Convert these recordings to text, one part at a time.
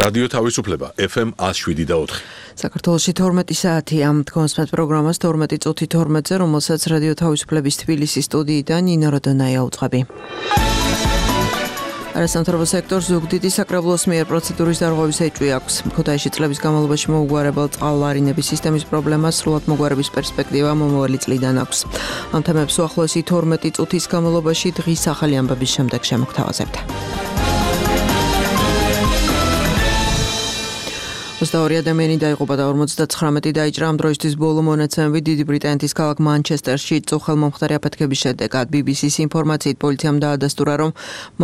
რადიო თავისუფლება FM 107.4. საქართველოში 12 საათია. კონსპект პროგრამას 12 წუთი 12-ზე, რომელსაც რადიო თავისუფლების თბილისის სტუდიიდან ნინო როდონაია უძღვები. არასამთავრობო სექტორს ზუგდიდის საკრებულოს მიერ პროცედურის დარღვევის ეჭვი აქვს. ქუთაისში წლების განმავლობაში მოუგვარებელ წყალვარინების სისტემის პრობლემას სრულად მოგვარების პერსპექტივა მომავალი წლიდან აქვს. ამ თემებს უახლოესი 12 წუთის განმავლობაში დღის ახალი ამბების შემდეგ შემოგთავაზებთ. 22 ადამიანი დაიღუპა და 59 დაიჭრა. ამ დროისთვის ბოლო მონაცემები დიდი ბრიტანეთის ქალაქ მანჩესტერში წუხელმომხდარი აფეთქების შედეგად. BBC-ს ინფორმაციით პოლიციამ დაადასტურა, რომ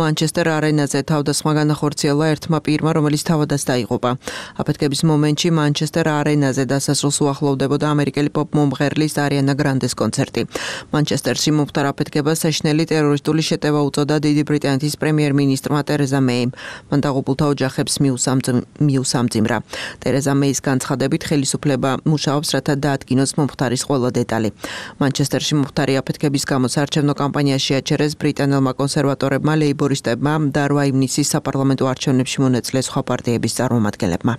მანჩესტერ არენაზე თავდასხმა განახორციელა ერთმა პირმა, რომელიც თავადაც დაიღუპა. აფეთქების მომენტში მანჩესტერ არენაზე დასასრულს უახლოვდებოდა ამერიკელი პოპ მომღერლის არიანა გრანდეს კონცერტი. მანჩესტერში მომხდარ აფეთქებას საშინელი ტერორისტული შეტევა უწოდა დიდი ბრიტანეთის პრემიერ-მინისტრმა ტერეზა მეიმ. მან დაღუპულთა ოჯახებს მიუსამძიმრა. ტერეზა მეის განცხადებით ხელისუფლება მუშაობს, რათა დაადგინოს მომხდარის ყველა დეტალი. მანჩესტერში მომხდარი აფეთქების გამო საარჩევნო კამპანიაში აჩერეს ბრიტანელმა კონსერვატორებმა, ლეიბორისტებმა და 8 ივნისის საპარლამენტო არჩევნებში მონაწილე სხვა პარტიების წარმომადგენლებმა.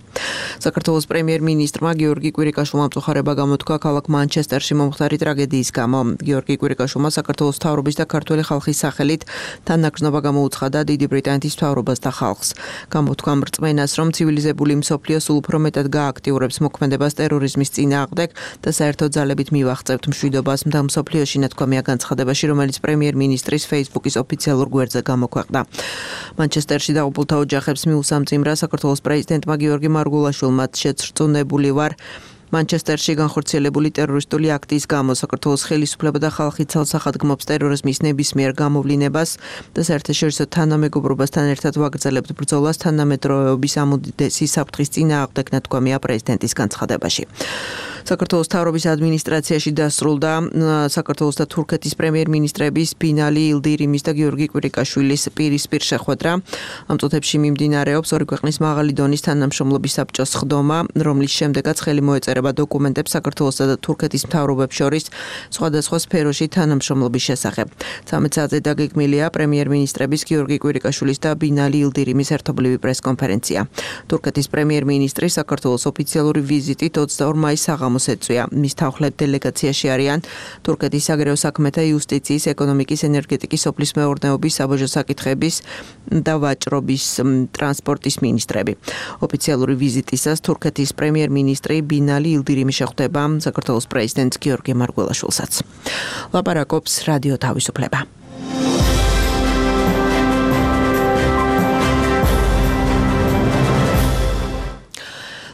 საქართველოს პრემიერ-მინისტრმა გიორგი კვირიკაშვილმა მწუხარება გამოთქვა ქალაქ მანჩესტერში მომხდარი ტრაგედიის გამო. გიორგი კვირიკაშვილმა საქართველოს მთავრობის და ქართული ხალხის სახელით თანაგრძნობა გამოუცხადა დიდი ბრიტანეთის მთავრობას და ხალხს. გამოთქვა რწმენას, რომ ცივილიზებული მსოფლიო სულ უფრო მეტად გააქტიურებს მოქმედებას ტერორიზმის წინააღმდეგ და საერთო ძალებით მივაღწევთ მშვიდობას მთელ მსოფლიოში, ნათქვამია განცხადებაში, რომელიც პრემიერ-მინისტრის Facebook-ის ოფიციალურ გვერდზე გამოქვეყნდა. მანჩესტერში დაღუპულთა ოჯახებს მიუსამძიმრა საქართველოს პრეზიდენტმა გიორგი მარგულაშვილმა. შეწრწუნებული ვარ მანჩესტერში განხორციელებული ტერორისტული აქტის გამო. საქართველოს ხელისუფლება და ხალხი ცალსახად გმობს ტერორიზმის ნებისმიერ გამოვლინებას და საერთაშორისო თანამეგობრობასთან ერთად ვაგრძელებთ ბრძოლას თანამედროვეობის ამუდესი საფრთხის წინააღმდეგ, ნათქვამია პრეზიდენტის განცხადებაში. საქართველოს მთავრობის ადმინისტრაციაში დასრულდა საქართველოს და თურქეთის პრემიერ-მინისტრების ბინალი ილდირიმის და გიორგი კვირიკაშვილის პირისპირ შეხვედრა. ამ წუთებში მიმდინარეობს ორი ქვეყნის მაღალი დონის თანამშრომლობის საბჭოს სხდომა, რომლის შემდეგაც ხელი მოეწერება დოკუმენტებს საქართველოსა და თურქეთის მთავრობებს შორის სხვადასხვა სფეროში თანამშრომლობის შესახებ. 13 საათზე დაგეგმილია პრემიერ-მინისტრების გიორგი კვირიკაშვილის და ბინალი ილდირიმის ერთობლივი პრესკონფერენცია. თურქეთის პრემიერ-მინისტრი საქართველოს ოფიციალური ვიზიტით 22 მაისს მოსეწვია. მის თანხლებ დელეგაციაში არიან თურქეთის საგარეო საქმეთა, იუსტიციის, ეკონომიკის, ენერგეტიკის, სოფლის მეურნეობის, საბაჟო საკითხების და ვაჭრობის, ტრანსპორტის მინისტრები. ოფიციალური ვიზიტისას თურქეთის პრემიერ-მინისტრი ბინალი ილდირიმი შეხვდება საქართველოს პრეზიდენტ გიორგი მარგველაშვილსაც. ლაპარაკობს რადიო თავისუფლება.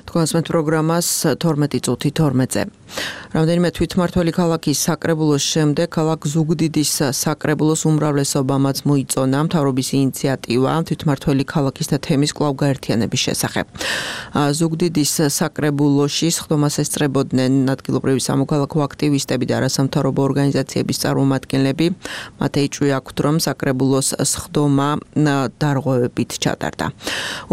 კონსპект პროგრამას 12 წუთი 12-ზე. რამდენიმე თვითმმართველი ქალაქის საკრებულოს შემდეგ ქალაქ ზუგდიდის საკრებულოს უმრავლესობამაც მოიწონა მთავრობის ინიციატივა თვითმმართველი ქალაქის და თემის კვლავ გაერთიანების შესახებ. ზუგდიდის საკრებულოში სხდომას ესწრებოდნენ ადგილობრივი სამოქალაქო აქტივისტები და არასამთავრობო ორგანიზაციების წარმომადგენლები. მათ ეჭვი აქვთ, რომ საკრებულოს სხდომა დარღვევებით ჩატარდა.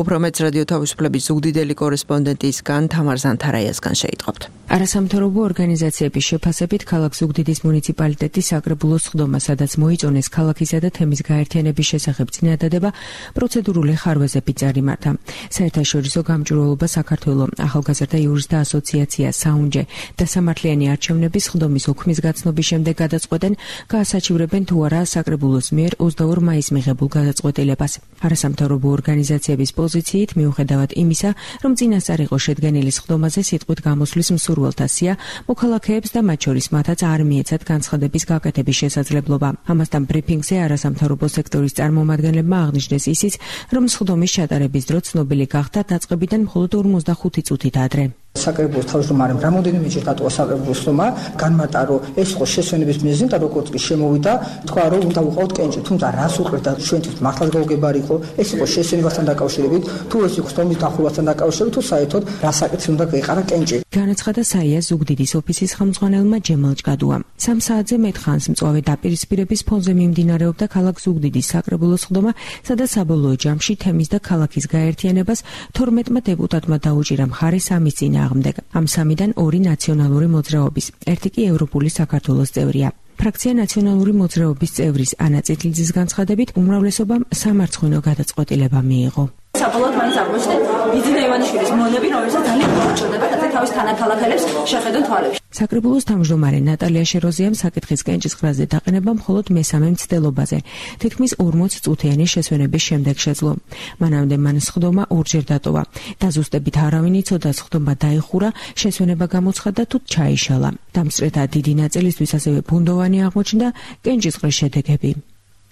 უფრო მეტს რადიო თავისუფლების ზუგდიდელი კორესპონდენტისგან თამარ ზანთარაიასგან შეიტყობთ. არასამთავრობო ორგანიზაციების შეფასებით ქალაქ ზუგდიდის მუნიციპალიტეტის საკრებულოს სხდომა, სადაც მოიწონეს ქალაქისა და თემის გაერთიანების შესახებ წინადადება, პროცედურული ხარვეზებით წარიმართა. საერთაშორისო გამჭვირვალობა საქართველოს ახალგაზრდა იურისტთა ასოციაცია საუნჯე და სამართლიანი არჩევნების სხდომის უქმის გაცნობის შემდეგ გადაწყვეტენ, გაასაჩივრებენ თუ არა საკრებულოს მიერ 22 მაისს მიღებულ გადაწყვეტილებას. არასამთავრობო ორგანიზაციების პოზიციით, მიუხედავად იმისა, რომ წინასწარ იყო შედგენილი სხდომაზე სიტყვით გამოსვლის მსურველთა სია, მოქალაქეებს და მათ შორის მათაც არ მიეცათ განცხადების გაკეთების შესაძლებლობა. ამასთან ბრიფინგზე არასამთავრობო სექტორის წარმომადგენლებმა აღნიშნეს ისიც, რომ სხდომის ჩატარების დრო ცნობილი გახდა დაწყებიდან მხოლოდ 45 წუთით ადრე. საკრებულოს თავმჯდომარემ რამოდენიმეჯერ დატოვა საკრებულოს სხდომა, განმარტა, რომ ეს იყო შესვენების მიზეზი და როგორც კი შემოვიდა, თქვა, რომ უნდა ვიყავთ კენჭი, თუმცა რას უყურეთ და ჩვენთვის მართლაც გაუგებარი იყო, ეს იყო შესვენებასთან დაკავშირებით, თუ ეს იყო სხდომის დახურვასთან დაკავშირებით, თუ საერთოდ რა საკითხი უნდა გაიყარა კენჭი. განაცხადა საიას ზუგდიდის ოფისის ხელმძღვანელმა ჯემალ ჭკადუამ. 3 საათზე მეტხანს მწვავე დაპირისპირების ფონზე მიმდინარეობდა ქალაქ ზუგდიდის საკრებულოს სხდომა, სადაც საბოლოო ჯამში თემის და ქალაქის გაერთიანებას 12-მა დეპუტატმა დაუჭირა მხარე სამის წინააღმდეგ. ამ სამიდან 2 ნაციონალური მოძრაობის, ერთი კი ევროპული საქართველოს წევრია. ფრაქცია ნაციონალური მოძრაობის წევრის ანა წითლიძის განცხადებით, უმრავლესობამ სამარცხვინო გადაწყვეტილება მიიღო. საბოლოოდ მაინც აღმოჩნდა ბიძინა ივანიშვილის მონები, რომელსაც ძალიან მოუჭირდება და თავის თანაქალაქელებს შეხედონ თვალებში. საკრებულოს თავმჯდომარე ნატალია შეროზიამ საკითხის კენჭისყრაზე დაყენება მხოლოდ მესამე მცდელობაზე, თითქმის 40 წუთიანი შესვენების შემდეგ შეძლო. მანამდე მან სხდომა ორჯერ დატოვა. დაზუსტებით არავინ იცოდა, სხდომა დაიხურა, შესვენება გამოცხადდა თუ ჩაიშალა. დამსწრეთა დიდი ნაწილისთვის ასევე ფუნდოვანი აღმოჩნდა კენჭისყრის შედეგები.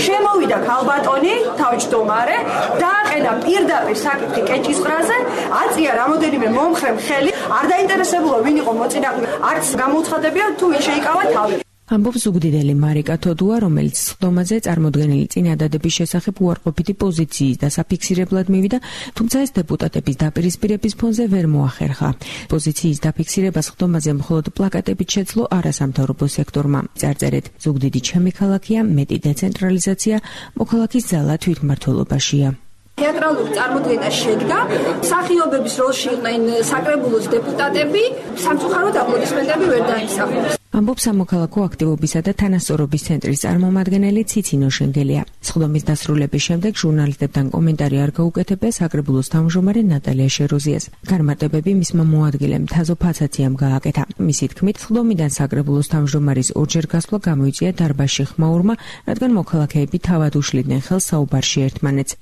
შემოვიდა ქალბატონი, თავმჯდომარე, დააყენა პირდაპირ საკითხი კენჭისყრაზე, აწია რამოდენიმე მომხრემ ხელი, არ დაინტერესებულა ვინ იყო მოწინააღმდეგე, არც გამოუცხადებია თუ ვინ შეიკავა თავი. ამბობს ზუგდიდელი მარიკა თოდუა, რომელიც სხდომაზე წარმოდგენილი წინადადების შესახებ უარყოფითი პოზიციის დასაფიქსირებლად მივიდა, თუმცა ეს დეპუტატების დაპირისპირების ფონზე ვერ მოახერხა. პოზიციის დაფიქსირება სხდომაზე მხოლოდ პლაკატებით შეძლო არასამთავრობო სექტორმა. წარწერეთ: ზუგდიდი ჩემი ქალაქია, მეტი დეცენტრალიზაცია, მოქალაქის ძალა თვითმმართველობაშია. თეატრალური წარმოდგენა შედგა, მსახიობების როლში იყვნენ საკრებულოს დეპუტატები, სამწუხაროდ აპლოდისმენტები ვერ დაიმსახურეს. ამბობს სამოქალაქო აქტივობისა და თანასწორობის ცენტრის წარმომადგენელი ციცინო შენგელია. სხდომის დასრულების შემდეგ ჟურნალისტებთან კომენტარი არ გაუკეთებია საკრებულოს თავმჯდომარე ნატალია შეროზიას. განმარტებები მისმა მოადგილემ თაზო ფაცაციამ გააკეთა. მისი თქმით, სხდომიდან საკრებულოს თავმჯდომარის ორჯერ გასვლა გამოიწვია დარბაზში ხმაურმა, რადგან მოქალაქეები თავად უშლიდნენ ხელს საუბარში ერთმანეთს.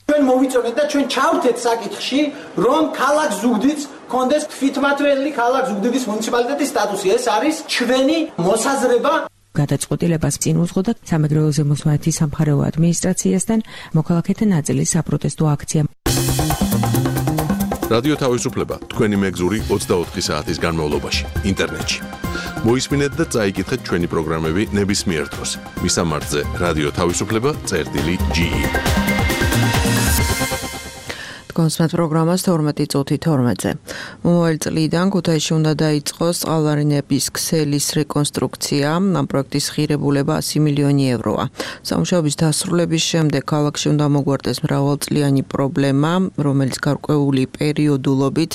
ჩვენ მოვიწონეთ და ჩვენ ჩავთეთ საკითხში, რომ ქალაქ ზუგდიდს კონდეს თვითმმართველი ქალაქ ზუგდიდის მუნიციპალიტეტის სტატუსი. ეს არის ჩვენი მოსაზრება. გადაწყვეტილებას წინ უძღოდა სამეგრელოზე მოსმენათი სამხარეო ადმინისტრაციასთან მოქალაქეთა ნაწილის საპროტესტო აქცია. რადიო თავისუფლება თქვენი მეგზური 24 საათის განმავლობაში ინტერნეტში. მოისმინეთ და წაიკითხეთ ჩვენი პროგრამები ნებისმიერ დროს. მისამართზე რადიო თავისუფლება.ge კონსმეთ პროგრამას 12 წუთი 12-ზე. მომავალ წლიდან ქუთაისში უნდა დაიწყოს წყალარინების ქსელის რეკონსტრუქცია. ამ პროექტის ღირებულება 100 მილიონი ევროა. სამუშაოების დასრულების შემდეგ ქალაქში უნდა მოგვარდეს მრავალწლიანი პრობლემა, რომელიც გარკვეული პერიოდულობით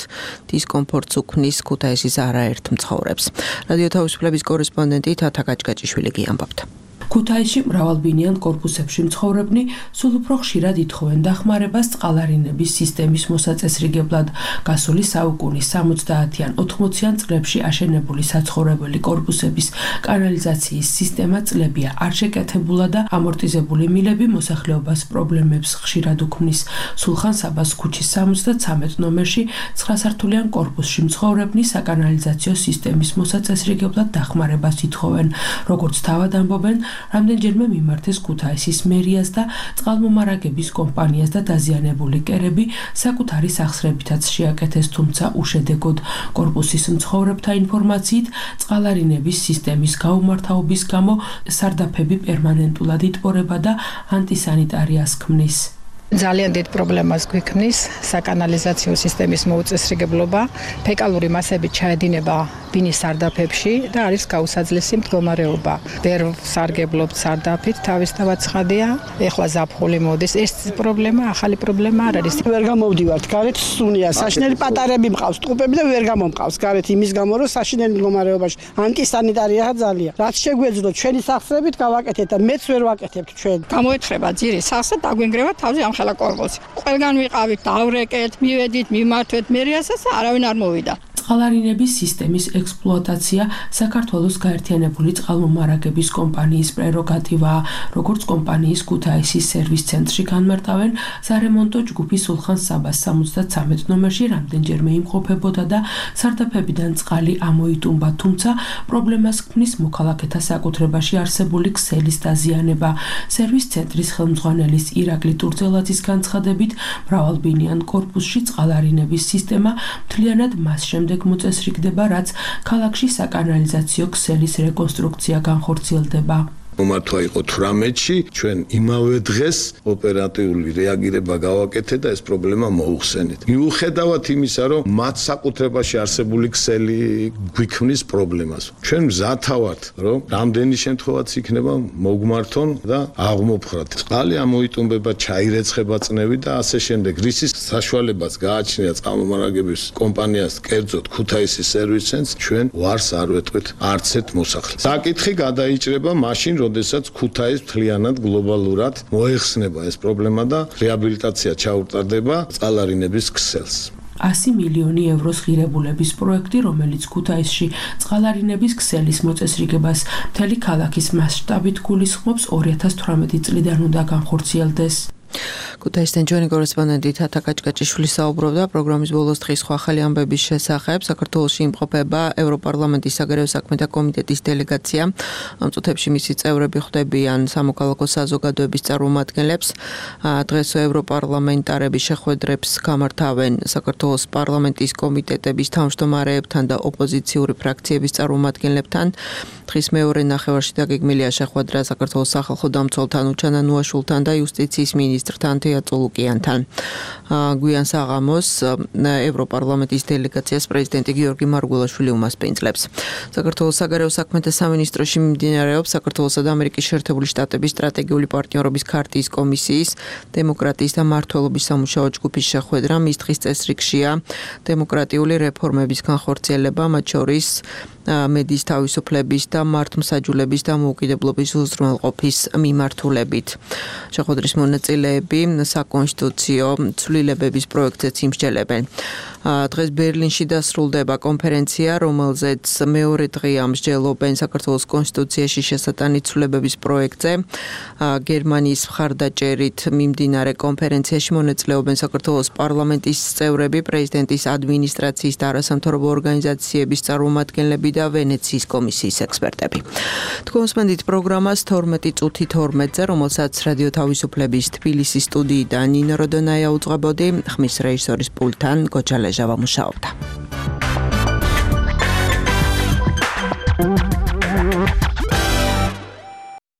დისკომფორტს უქმნის ქუთაისის არაერთ მცხოვრებს. რადიო თავისუფლების კორესპონდენტი თათა კაჭკაჭიშვილი გიამბობთ. ქუთაისში მრავალბინიან კორპუსებში მცხოვრებნი სულ უფრო ხშირად ითხოვენ დახმარებას წყალარინების სისტემის მოსაწესრიგებლად. გასული საუკუნის 70-ან 80-იან წლებში აშენებული საცხოვრებელი კორპუსების კანალიზაციის სისტემა წლებია არ შეკეთებულა და ამორტიზებული მილები მოსახლეობას პრობლემებს ხშირად უქმნის. სულხან საბას ქუჩის 73 ნომერში 9 სართულიან კორპუსში მცხოვრებნი საკანალიზაციო სისტემის მოსაწესრიგებლად დახმარებას ითხოვენ. როგორც თავად ამბობენ, რამდენჯერმე მიმართეს ქუთაისის მერიას და წყალმომარაგების კომპანიას და დაზიანებული კერები საკუთარი სახსრებითაც შეაკეთეს, თუმცა უშედეგოდ. კორპუსის მცხოვრებთა ინფორმაციით, წყალარინების სისტემის გაუმართავობის გამო სარდაფები პერმანენტულად იტბორება და ანტისანიტარიას ქმნის. ძალიან დიდ პრობლემას გვიქმნის საკანალიზაციო სისტემის მოუწესრიგებლობა, ფეკალური მასები ჩაედინება ბინის სარდაფებში და არის გაუსაძლესი მდგომარეობა. ვერ სარგებლობთ სარდაფით, თავისთავად ცხადია, ეხლა ზაფხული მოდის. ეს პრობლემა, ახალი პრობლემა არ არის. ვერ გამოვდივართ, გარეთ სუნია, საშინელი პატარები მყავს, ტყუპები და ვერ გამომყავს გარეთ იმის გამო, რომ საშინელი მდგომარეობაში ანტისანიტარია ძალიან. რაც შეგვეძლოთ ჩვენი სახსრებით გავაკეთეთ და მეც ვერ ვაკეთებთ ჩვენ. გამოეთხრება ძირი სახსრა დაგვენგრევა თავზე ამხელა კორპუსი. ყველგან ვიყავით, დავრეკეთ, მივედით, მიმართვეთ მერიასაც არავინ არ მოვიდა. წყალარინების სისტემის ექსპლუატაცია საქართველოს გაერთიანებული წყალმომარაგების კომპანიის პრეროგატივაა. როგორც კომპანიის ქუთაისის სერვის ცენტრში განმარტავენ, სარემონტო ჯგუფი სულხან საბას 73 ნომერში რამდენჯერმე იმყოფებოდა და სარდაფებიდან წყალი ამოიტუმბა, თუმცა პრობლემას ქმნის მოქალაქეთა საკუთრებაში არსებული ქსელის დაზიანება. სერვის ცენტრის ხელმძღვანელის ირაკლი ტურძელაძის განცხადებით, მრავალბინიან კორპუსში წყალარინების სისტემა მთლიანად მას შემდეგ მოწესრიგდება, რაც ქალაქში საკანალიზაციო ქსელის რეკონსტრუქცია განხორციელდება. მომართვა იყო 18-ში, ჩვენ იმავე დღეს ოპერატიული რეაგირება გავაკეთეთ და ეს პრობლემა მოუხსენეთ. მიუხედავად იმისა, რომ მათ საკუთრებაში არსებული ქსელი გვიქმნის პრობლემას. ჩვენ მზათა ვართ, რომ რამდენი შემთხვევაც იქნება მოგმართონ და აღმოფხრათ. წყალი ამოიტუმბება, ჩაირეცხება წნევი და ასე შემდეგ. რისის საშუალებაც გააჩნია წყალმომარაგების კომპანიას, კერძოდ ქუთაისის სერვის ცენტრს, ჩვენ ვარს არ ვეტყვით არც ერთ მოსახლეს. საკითხი გადაიჭრება მაშინ, როდესაც ქუთაის მთლიანად გლობალურად მოეხსნება ეს პრობლემა და რეაბილიტაცია ჩაუტარდება წყალარინების ქსელს. 100 მილიონი ევროს ღირებულების პროექტი, რომელიც ქუთაისში წყალარინების ქსელის მოწესრიგებას მთელი ქალაქის მასშტაბით გულისხმობს 2018 წლიდან უნდა განხორციელდეს. ქუთაისთან ჩვენი კორესპონდენტი თათა კაჭკაჭიშვილი საუბრობდა პროგრამის ბოლოს დღის ხვალ ამბების შესახებ. საქართველოში იმყოფება ევროპარლამენტის საგარეო საქმეთა კომიტეტის დელეგაცია. ამ წუთებში მისი წევრები ხვდებიან სამოქალაქო საზოგადოების წარმომადგენლებს. დღეს ევროპარლამენტარები შეხვედრებს გამართავენ საქართველოს პარლამენტის კომიტეტების თავმჯდომარეებთან და ოპოზიციური ფრაქციების წარმომადგენლებთან. დღის მეორე ნახევარში დაგეგმილია შეხვედრა საქართველოს სახალხო დამცველთან უჩანა ნუაშულთან და იუსტიციის მინისტრთან თეატოლუკიანთან. გვიან საღამოს ევროპარლამენტის დელეგაციას პრეზიდენტი გიორგი მარგველაშვილი უმასპინძლებს. საქართველოს საგარეო საქმეთა სამინისტროში მიმდინარეობს საქართველოსა და ამერიკის შეერთებული შტატების სტრატეგიული პარტნიორობის ქარტიის კომისიის დემოკრატიის და მართლობის სამუშაო ჯგუფის შეხვედრა. მის დღის წესრიგშია დემოკრატიული რეფორმების განხორციელება, მათ შორის მედიის თავისუფლების და მართლმსაჯულების და მოუკიდებლობის უზრუნველყოფის მიმართულებით. შეხვედრის მონაწილეები საკონსტიტუციო ცვლილებების პროექტზეც იმსჯელებენ. დღეს ბერლინში დასრულდება კონფერენცია, რომელზეც მეორე დღეა მსჯელობენ საქართველოს კონსტიტუციაში შესატანი ცვლილებების პროექტზე. გერმანიის მხარდაჭერით მიმდინარე კონფერენციაში მონაწილეობენ საქართველოს პარლამენტის წევრები, პრეზიდენტის ადმინისტრაციის და არასამთავრობო ორგანიზაციების წარმომადგენლები და ვენეციის კომისიის ექსპერტები. თქვენს მენდით პროგრამას 12 წუთი 12-ზე, რომელსაც რადიო თავისუფლების თბილისის სტუდიიდან ნინო როდონაია უძღვებოდი, ხმის რეჟისორის პულტთან გოჯა ლეჟავა მუშაობდა.